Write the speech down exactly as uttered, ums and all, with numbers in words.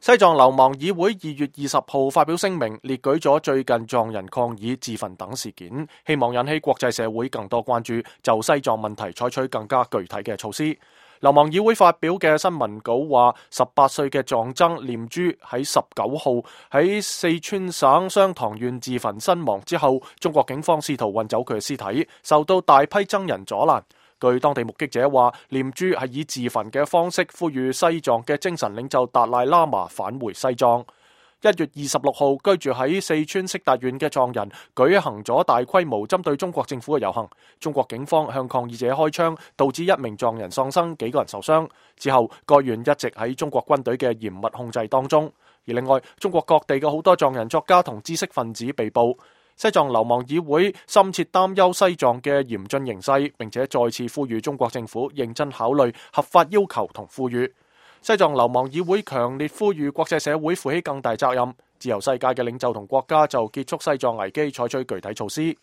西藏流亡議會二月二十號發表聲明，列舉咗最近藏人抗議自焚等事件，希望引起國際社會更多關注，就西藏問題採取更加具體嘅措施。流亡議會發表嘅新聞稿話，十八歲嘅藏僧念珠喺十九號喺四川省雙塘縣自焚身亡之後，中國警方試圖運走佢嘅屍體，受到大批僧人阻攔。據當地目擊者話，念珠係以自焚嘅方式呼籲西藏嘅精神領袖達賴喇嘛返回西藏。一月二十六號，居住喺四川色達縣嘅藏人舉行咗大規模針對中國政府嘅遊行，中國警方向抗議者開槍，導致一名藏人喪生，幾個人受傷。之後，該縣一直喺中國軍隊嘅嚴密控制當中。而另外，中國各地嘅好多藏人作家同知識分子被捕。西藏流亡議會深切擔憂西藏嘅嚴峻形勢，並且再次呼籲中國政府認真考慮合法要求同呼籲。西藏流亡議會強烈呼籲國際社會負起更大責任，自由世界嘅領袖同國家就結束西藏危機採取具體措施。